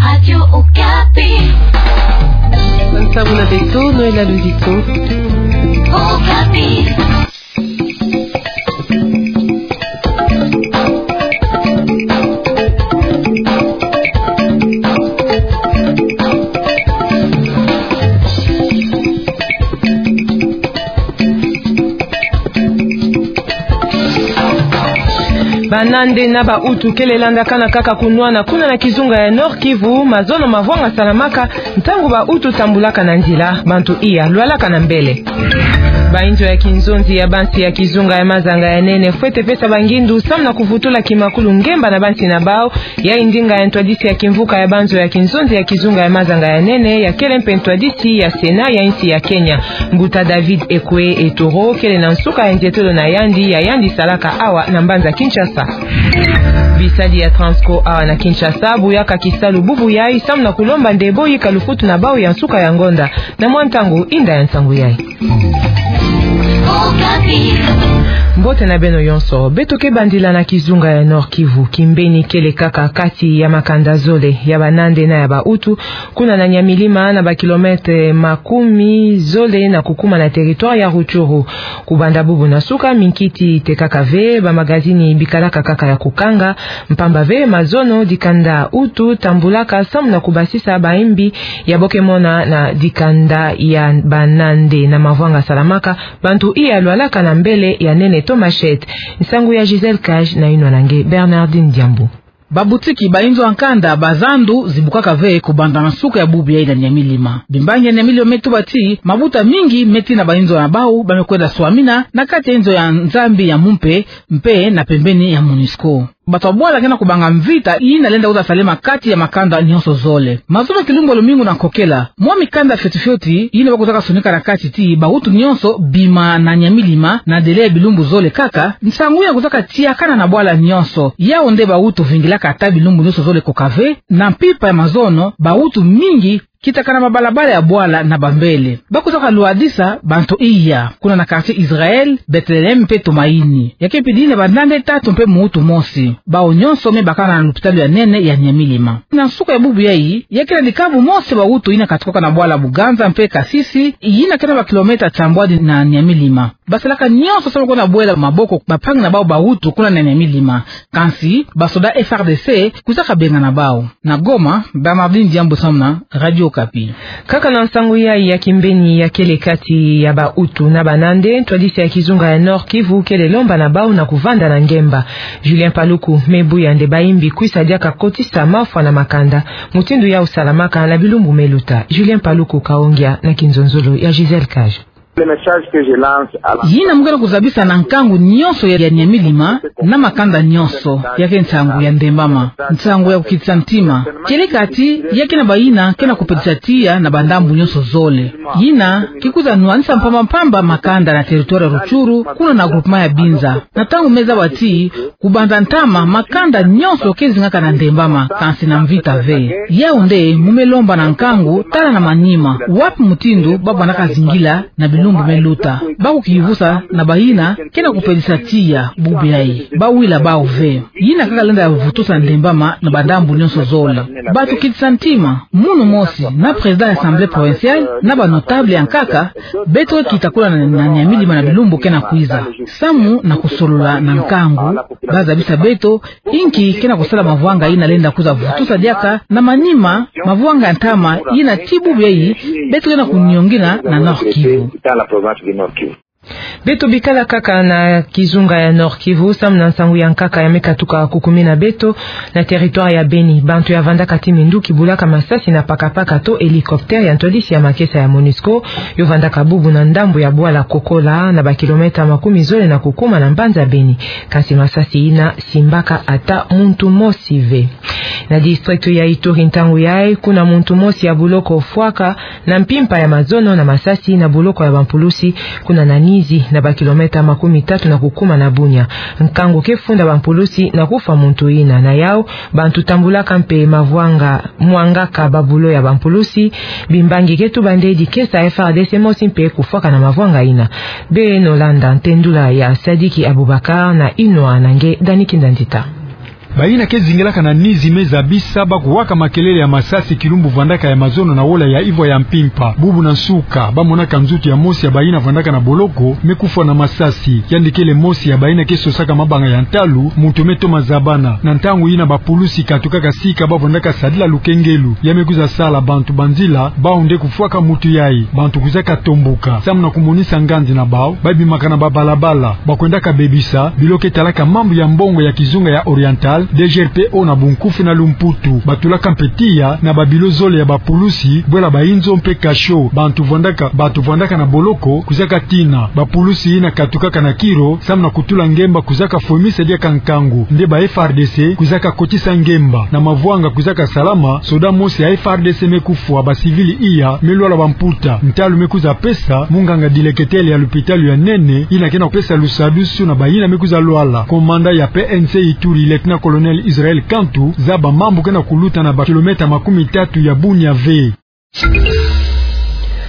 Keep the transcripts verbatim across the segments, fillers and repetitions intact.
Radio Okapi. Nsangu na beto, Noëlla Luzito. Okapi. Banande na Bahutu kele landakana kaka kunwana kuna na kizunga ya Nord-Kivu, mazono mavwanga salamaka ntangu Bahutu tambulaka na nzila, bantu iya lwalaka na mbele. Bainzo ya kinzonzi ya bansi ya kizunga ya mazanga ya nene fwete pesa bangindu samu na kuvutula kimakulu ngemba na bansi na bau. Yayi ndinga ya ntwadisi ya kimvuka ya banzo ya kinzonzi ya kizunga ya mazanga ya nene, ya kele mpe ntwadisi ya Sénat ya insi ya Kenya. Mbuta David Ekwe Etoro kele na nsuka ya nzietolo na yandi, ya yandi salaka awa na mbanza Kinshasa. Bisadi ya Transco awa na Kinshasa buyaka kisalu bubu yayi samu na kulomba nde boyika lufutu na bau ya nsuka ya ngonda. Na mwa ntangu, inda ya nsangu yayi. Mbote na beno yonso. Beto ke bandila na kizunga ya Nord-Kivu. Kimbeni kele kaka kati ya makanda zole, ya Banande na ya Bahutu, kuna na Nyamilima, na bakilometre makumi zole na kukuma na territoire ya Rutshuru. Kubanda bubu na suka, minkiti tekaka ve, bamagazini bikalaka kaka ya kukanga, mpamba ve mazono dikanda Hutu tambulaka samu na kubasisa baimbi ya bo ke mona na dikanda ya Banande. Na mavwanga salamaka, bantu iya lwalaka na mbele ya nene to machette. Nsangu ya Gisèle Cage na yinwa na nge Bernardine Diambu. Babutiki, bainzo ya nkanda, bazandu zibukaka ve kubanda na nsuka ya bubu yayi na Nyamilima. Bimbangi ya Nyamilima me tuba ti mabuta mingi me tina bainzo ya bau ba me kwenda swamina na kati ya inzo ya Nzambi ya mumpe, mpe na pembeni ya MONUSCO. Bato ya bwala ke na kubanga mvita yina lenda kwiza salema kati ya makanda nyonso zole. Mazono kilumbu ya lumingu na nkokela, mwa mikanda fioti fioti yina bakwizaka sonika na kati ti Bahutu nyonso bima na Nyamilima na délai ya bilumbu zole kaka, nsangu yina kwizaka tiakana na bwala nyonso. Yau nde Bahutu vingilaka ata bilumbu nyonso zole koka ve, na mpimpa ya mazono, Bahutu mingi kitakana mabalabala ya bwala na bambele. Bakwizaka lwadisa bantu iya, kuna na quartier Israël, Bethléem mpe Tumaini. Ya ke pidi na Banande tatu mpe Muhutu mosi. Bau nyonso me bakana na lupitalu ya nene ya Nyamilima. Na nsuka ya bubu yayi, ya ke na dikabu mosi Bahutu yina katukaka na bwala Buganza mpe Kasisi, yina ke na bakilometre tiambwadi na Nyamilima. Basalaka nyonso samu kwenda bwela maboko bampangi na bau Bahutu kuna na Nyamilima. Kansi, basoda F R D C kwizaka bengana bau. Na Goma, Bernardine Diambu samu na Radio Okapi. Kaka na nsangu yayi ya kimbeni ya kele kati ya Bahutu na Banande, ntwadisi ya kizunga ya Nord-Kivu kele lomba na bau na kuvanda na ngemba. Julien Paluku me buya nde baimbi kwisa diaka kotisa mafwa na makanda, mutindu yau salamaka na bilumbu me luta. Julien Paluku Kaongia na kinzonzolo ya Gisèle Cage. Yina mu ke na kuzabisa na nkangu nyonso ya, ya Nyamilima na makanda nyonso, ya ke nsangu ya ndembama, nsangu ya kukitisa ntima. Kele kati ya ke na bayina ke na kupelisa tiya na bandambu nyonso zole. Yina ke kwiza nwanisa mpamba mpamba makanda na territoire ya Rutshuru, kuna na groupement ya Binza. Na ntangu me zaba ti kubanza ntama, makanda nyonso ke zingaka na ndembama, kansi na mvita ve. Yau nde mu me lomba na nkangu, tala na manima, wapi mutindu ba vandaka zingila na bilumbu me luta. Ba kukivusa na bayina ke na kupelisa tiya bubu yayi, ba wila bau ve. Yina kaka lenda vutusa ndembama na bandambu nyonso zole. Batukitisa ntima, munu mosi, na président ya Assemblée provinciale, na ba notable ya nkaka, beto kita kuna na, na Nyamilima na bilumbu ke na kwiza. Samu na kusolola na nkangu, ba zabisa beto inki ke na kusala mavwanga yina lenda kwiza vutusa diaka na manima, mavwanga ya ntama yina ti bubu yayi beto ke na kuniongina na Nord-Kivu. Beto bikala kaka na kizunga ya Nord-Kivu, samu na nsangu ya nkaka ya me katuka kukumina beto, na territoire ya Beni, bantu ya vandaka ti minduki bulaka masasi na pakapaka to hélicoptère ya ntwadisi ya makesa ya MONUSCO, yo vandaka bubu na ndambu ya bwala Kokola, na bakilometre makumi zole na kukuma na mbanza Beni. Kansi masasi yina simbaka ata muntu mosi ve. Na district ya Ituri, ntangu yayi, kuna muntu mosi ya boloko fwaka na mpimpa ya mazono na masasi na boloko ya bampulusi, kuna na Nizi, na bakilometre makumi tatu na kukuma na Bunia. Nkangu ke funda bampulusi na kufwa muntu yina. Na yau, bantu tambulaka mpe mavwanga, mwangaka babulo ya bampulusi. Bimbangi ke tuba nde dikesa F R D C mosi mpe kufwaka na mavwanga yina. Beno landa ntendula ya Sadiki Abubakar na yinwa na nge Dani Kindandita. Bayina ke zingilaka na NIZI me zabisa ba kuwaka makelele ya masasi kilumbu vwandaka ya mazono na wola ya ivwa ya mpimpa. Bubu na nsuka, ba monaka nzutu ya mosi ya bayina vwandaka na boloko me kufwa na masasi. Yandi kele mosi ya bayina ke sosaka mabanga ya ntalu, muntu me toma zabana. Na ntangu yina bapulusi katukaka sika ba vwandaka sadila lukengelu, ya me kwiza sala bantu banzila, bau nde kufwaka muntu yayi. Bantu kwizaka tomboka, samu na kumonisa nganzi na bau, ba bimaka na babalabala, ba kwendaka bebisa bilo ke talaka mambu ya mbongo ya kizunga ya Oriental, D G R P O na bunkufi na lumputu. Batulaka mpe tiya na babilo zole ya bapulusi, bwela bayinzo mpe kasho. Bantu vwandaka, bantu vwandaka na boloko kwizaka tina. Bapulusi yina katukaka na kiro, samu na kutula ngemba kwizaka fwemisa diaka nkangu. Nde ba F A R D C kwizaka kotisa ngemba. Na mavwanga kwizaka salama, soda mosi ya F A R D C me kufwa, basivili iya me lwala bamputa. Ntalu me kwiza pesa munganga dileketele ya lupitalu ya nene, yina ke na kupesa lusadusu na bayina me kwiza lwala. Komanda ya P N C Ituri, Lieutenant-colonel Israël Kantu, zaba mambu ke na kuluta na bakilomètre makumi tatu ya Bunia ve.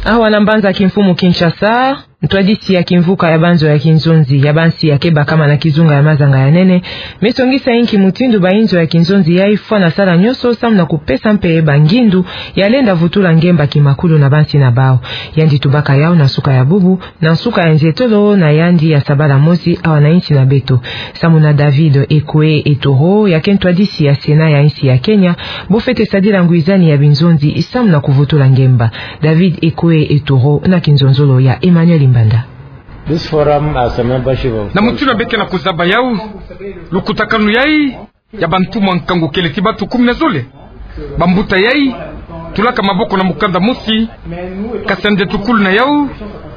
Awa na mbanza kimfumu Kinshasa, ntwadisi ya kimvuka ya banzo ya kinzonzi ya bansi ya ke bakama na kizunga ya mazanga ya nene, me songisa inki mutindu bayinzo ya kinzonzi yayi fwana sala nyonso samu na kupesa mpe bangindu ya lenda vutula ngemba kimakulu na bansi na bau. Yandi tubaka yau na nsuka ya bubu, na nsuka ya nzietolo na yandi ya sabala mosi awa na insi na beto. Samu na David Ekwe Etoro, ya ke ntwadisi ya Sénat ya insi ya Kenya, bo fwete sadila ngwizani ya binzonzi samu na kuvutula ngemba. David Ekwe Etoro na kinzonzolo ya Emmanuel Mbanda. This forum has a membership of... Na mutindu beke na kuzaba yau, lukutakanu yayi ya bantu mwa nkangu kele ti batu kumi na zole. Bambuta yayi tulaka maboko na mukanda mosi, kasi nde tukulu na yau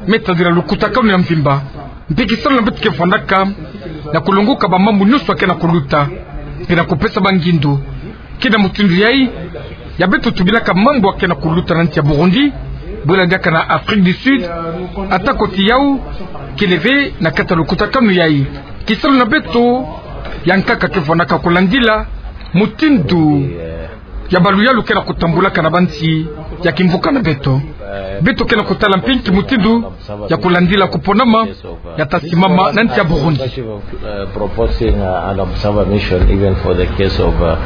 me tadila lukutakanu ya mvimba. Mpi kisalu na beto ke vwandaka na kulongoka bamambu nyonso ya ke na kuluta mpe na kupesa bangindu. Ke na mutindu yayi ya beto tubilaka mambu ya ke na kuluta na nsi ya Burundi, bwela diaka na Afrique du Sud, ata koti yau kele ve na kati ya lukutakanu yayi. Kisalu na beto ya nkaka ke vwandaka kulandila mutindu ya baluyalu ke na kutambulaka na bansi ya kimvuka na beto. Beto ke na kutala mpe inki mutindu ya kulandila kuponama ya ta simama na nsi ya Burundi. Uh, proposing, uh, an observer mission even for the case of, uh...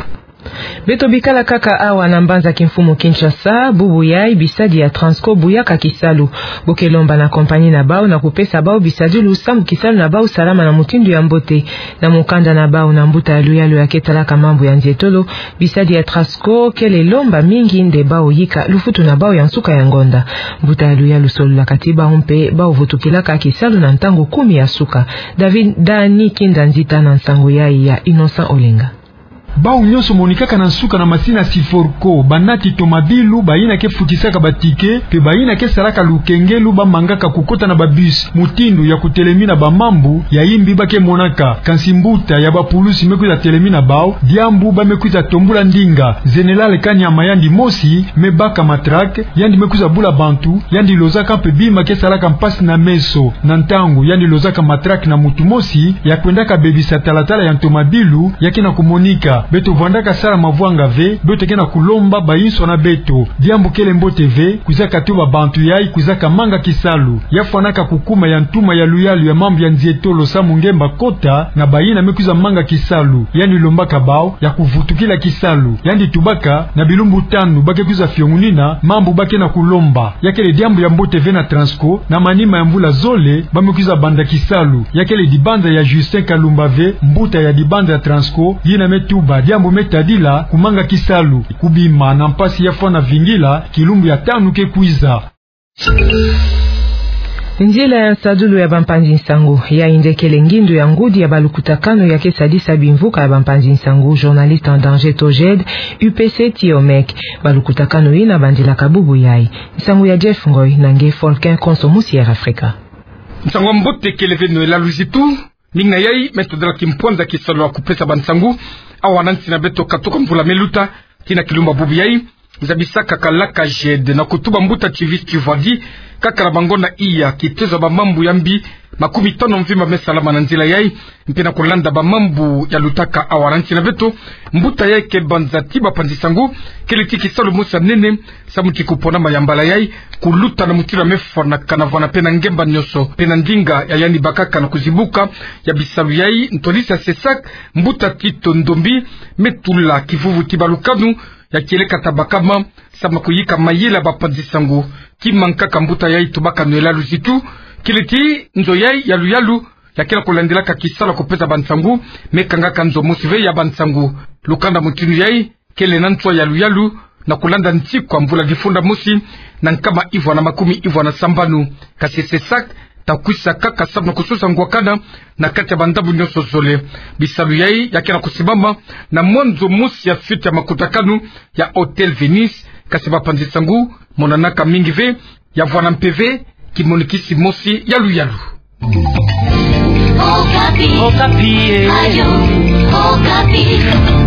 Beto bikala kaka awa na mbanza kimfumu Kinshasa, bubu yayi bisadi ya Transco buyaka kisalu. Bo ke lomba na compagnie na bau na kupesa bau bisadilu samu kisalu na bau salama na mutindu ya mbote. Na mukanda na bau na mbuta ya luyalu ya ke talaka mambu ya nzietolo, bisadi ya Transco kele lomba mingi nde bau yika lufutu na bau ya nsuka ya ngonda. Mbuta ya luyalu sololaka ti bau mpe bau vutukilaka kisalu na ntangu kumi ya suka. David Dani Kinda Nzita na nsangu yayi ya Innocent Olenga. Bau nyonso monikaka na nsuka na masini ya Syforco, banati tomabilu, bayina ke futisaka batike, mpe bayina ke salaka lukengelu, ba mangaka kukota na babus. Mutindu ya kutelemina bamambu ya imbi ba ke monaka. Kansi mbuta ya bapulusi me kwiza telemina bau, diambu ba me kwiza tombula ndinga. Général Kanyama yandi mosi me baka matraque, yandi me kwiza bula bantu, yandi lozaka mpe bima ke salaka mpasi na meso. Na ntangu yandi lozaka matraque na mutu mosi, ya kwendaka bebisa talatala ya ntomabilu ya ke na kumonika. Beto vwandaka sala mavwanga ve, beto ke na kulomba bayinso na beto. Diambu kele mbote ve, kwizaka tuba bantu yayi kwizaka manga kisalu. Ya fwanaka kukuma ya ntuma ya luyalu ya mambu ya nzietolo samu ngemba kota na bayina me kwiza manga kisalu. Yandi lombaka bau ya kuvutukila kisalu. Yandi tubaka na bilumbu tanu ba ke kwiza fiongunina mambu ba ke na kulomba. Ya kele diambu ya mbote ve na Transco, na manima ya mvula zole ba me kwiza banda kisalu. Ya kele dibanza ya Justin Kalumba ve, mbuta ya dibanza ya Transco, yina me tuba diambu me tadila kumanga kisalu. Kubima na mpasi ya fwana vingila kilumbu ya tanu ke kwiza. Nzila ya nsadulu ya bampanzi nsangu, yayi nde kele ngindu ya ngudi ya balukutakanu ya ke sadisa bimvuka ya bampanzi nsangu, journaliste en danger, Toged, U P C, Tiomec. Balukutakanu yina bandilaka bubu yayi. Nsangu ya Jeff Ngoy na nge Folkin Konso musi Air Africa. Nsangu ya mbote kele ve Noëlla Luzitu, ndinga yayi me tadila kimpwanza kisalu ya kupesa bansangu awa na nsi na beto katuka mvula me luta tii na kilumbu ya bubu yayi. Zabisaka kalaka Jed na kutuba mbuta Tivis Tivwadi, kaka na bangonda iya, kitezo ya bamambu ya mbi Makumi tano mvimba me salama na nzila yai. Mpe na kulanda bamambu ya lutaka awara nsi na beto, mbuta yai ke banza ti bapanzi sango, kele ti kisalu mosi ya nene, samu ti kupona mayambala yai, kuluta na mutindu ya mefwanakana vwana mpe na ngemba nyonso, mpe na ndinga ya yandi bakaka na kuzibuka ya bisalu yai, ntwadisi ya CESAC, mbuta Tito Ndombi, me tula kivuvu ti balukanu, ya kieleka tabakama, samu na kuyika mayela bapanzi sango. Ki mankaka mbuta yai tubaka nwela luzitu, kele ti nzo yai ya luyalu, ya ke na kulandilaka kisalu ya kupeza bansango, me kangaka nzo mosi ve ya bansango. Lukanda mutindu yai, kele na nswa ya luyalu, na kulanda ntikwa mvula difunda mosi, na nkama ivwa na makumi ivwa na sambanu. Kasi CESAC, ta kwisa kaka samu na kusosa ngwakana, na kati ya bandambu nyonso zole. Bisalu yai, ya ke na kusimbama, na mwanzo mosi ya fête ya makutakanu, ya Hôtel Venise, kasi bapanzi sango, monanaka mingi ve, ya vwana mpeve, kimonikisi mosi ya luyalu. Okapi. Okapi, eh. Radio Okapi.